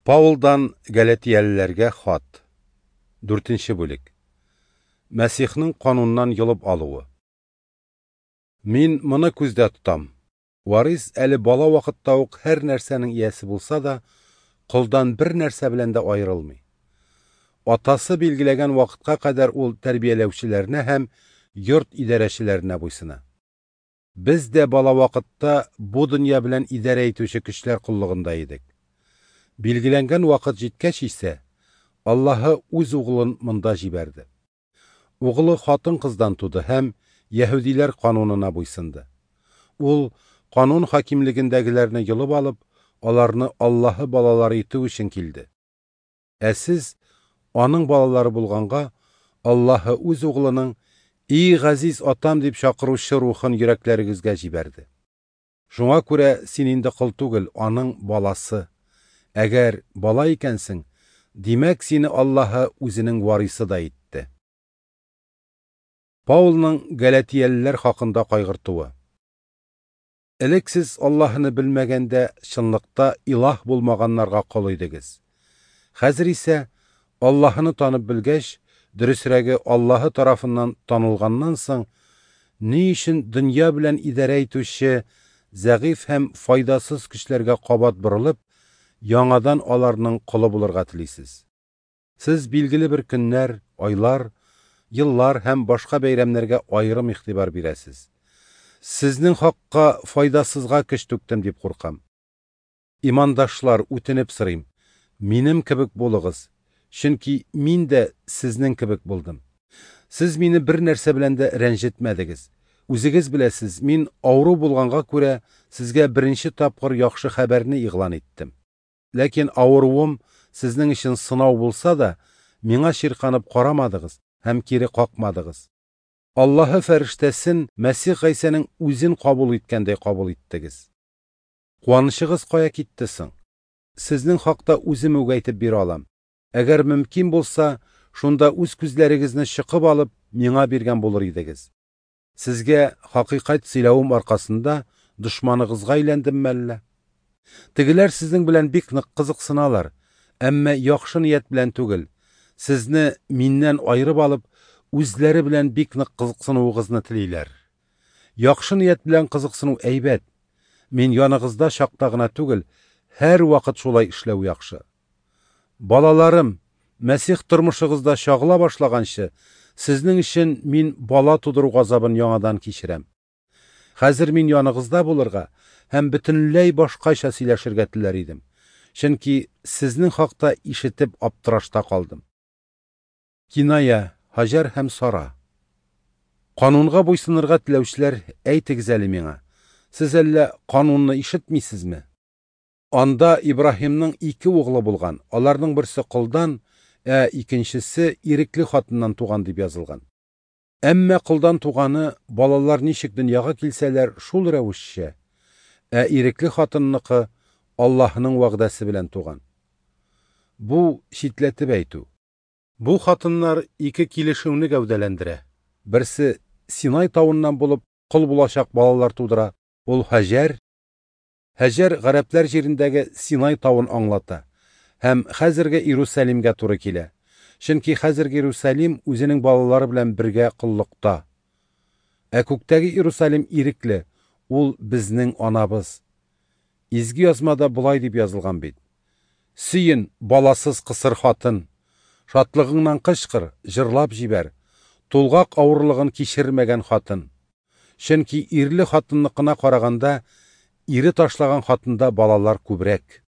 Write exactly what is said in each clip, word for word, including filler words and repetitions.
Паулдан Галатиялеләргә хат. Дүртенче бүлек. Мәсихнең кануннан йолып алуы. Мин моны күздә тотам. Варис әле бала вакытта ук һәр нәрсәнең иясе булса да, колдан бер нәрсә белән дә аерылмый. Атасы билгеләгән вакытка кадәр ул тәрбияләүчеләренә һәм йорт идарәчеләренә буйсына. Без дә бала вакытта бу дөнья белән идарә итүче көчләр коллыгында идек. Билгеләнгән вакыт җиткәч исә, Аллаһы үз углын монда җибәрде. Углы хатын-кыздан туды һәм яһүдиләр канунына буйсынды. Ул канун хакимлегендәгеләрне йолып алып, аларны Аллаһы балалары итү өчен килде. Ә сез аның балалары булганга, Аллаһы үз углының "И газиз атам" дип чакыручы рухын йөрәкләрегезгә җибәрде. Шуңа күрә син инде кол түгел, аның баласы. Әгәр бала икәнсең, димәк сине Аллаһы үзенең варисы да итте. Паулның Галатиялеләр хакында кайгыртуы. Элек сез Аллаһыны белмәгәндә, чынлыкта илаһ булмаганнарга кол идегез. Хәзер исә Аллаһыны танып белгәч, дөресрәге Аллаһы тарафыннан танылганнан соң, ни өчен дөнья белән идарә итүче зәгыйфь һәм файдасыз көчләргә кабат борылып, яңадан аларның колы булырга телисез? Сез билгеле бер көннәр, айлар, еллар һәм башка бәйрәмнәргә аерым игътибар бирәсез. Сезнең хакка файдасызга көч түктем дип куркам. Имандашлар, үтенеп сорыйм, минем кебек булыгыз, чөнки мин дә сезнең кебек булдым. Сез мине бер нәрсә белән дә рәнҗетмәдегез. Үзегез беләсез, мин авыру булганга күрә сезгә беренче тапкыр яхшы хәбәрне игълан иттем. Ләкин авыруым сезнең өчен сынау булса да, миңа чирканып карамадыгыз һәм кире какмадыгыз. Аллаһы фәрештәсен Мәсих Гайсәнең үзен кабул иткәндәй кабул иттегез. Куанычыгыз кая китте соң? Сезнең хакта үзем үк әйтеп бирә алам. Әгәр мөмкин булса, шунда үз күзләрегезне чыкып алып, миңа биргән булыр идегез. Сезгә хакыйкать сөйләвем аркасында дошманыгызга әйләндемме әллә? Тегеләр сезнең белән бик нык кызыксыналар, әмма яхшы ният белән түгел. Сезне миннән айырып алып, үзләре белән бик нык кызыксынуыгызны телиләр. Яхшы ният белән кызыксыну әйбәт. Мин яныгызда чакта гына түгел, һәр вакыт шулай эшләү яхшы. Балаларым, Мәсих тормышыгызда чагыла башлаганчы, сезнең өчен мин бала тудыру газабын яңадан кичерәм. Хәзер мин яныгызда булырга һәм бөтенләй башкача сөйләшергә теләр идем. Чөнки сезнең хакта ишетеп аптырашта калдым. Киная, Һаҗәр һәм Сара. Канунга буйсынырга теләүчеләр, әйтегез әле миңа, сез әллә канунны ишетмисезме? Анда Ибраһимның ике углы булган, аларның берсе колдан, ә икенчесе ирекле хатыннан туган дип язылган. Әмма колдан туганы балалар ничек дөньяга килсәләр, шул рәвешчә, ә ирекле хатынныкы Аллаһының вәгъдәсе белән туган. Бу читләтеп әйтү. Бу хатыннар ике килешүне гәүдәләндерә. Берсе Синай тавыннан булып кол булачак балалар тудыра. Ул Һаҗәр. Һаҗәр гарәпләр җирендәге Синай тавын аңлата һәм хәзерге Иерусалимгә туры килә. Чөнки хәзерге Иерусалим үзенең балалары белән бергә коллыкта. Ә күктәге Иерусалим ирекле, ул безнең анабыз. Изге язмада болай дип язылган бит: Сөен, баласыз кысыр хатын, шатлыгыңнан кычкыр, җырлап җибәр, тулгак авырлыгын кичермәгән хатын. Чөнки ирле хатынныкына караганда, ире ташлаган хатында балалар күбрәк.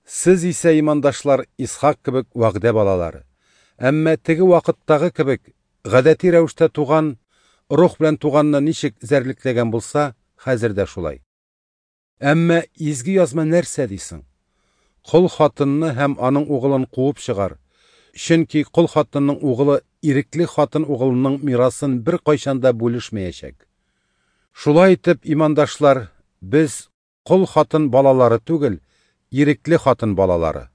Сез исә, имандашлар, Исхак кебек вәгъдә балалары. Әмма теге вакыттагы кебек гадәти рәвештә туган, рух белән туганны ничек зәрлекләгән булса, хәзер дә шулай. Әмма изге язма нәрсә дисең? Кол хатынны һәм аның углын куып чыгар. Чөнки кол хатынның углы ирекле хатын углының мирасын бер кайчан да бүлешмәячәк. Шулай итеп, имандашлар, без кол хатын балалары түгел, ирекле хатын балалары.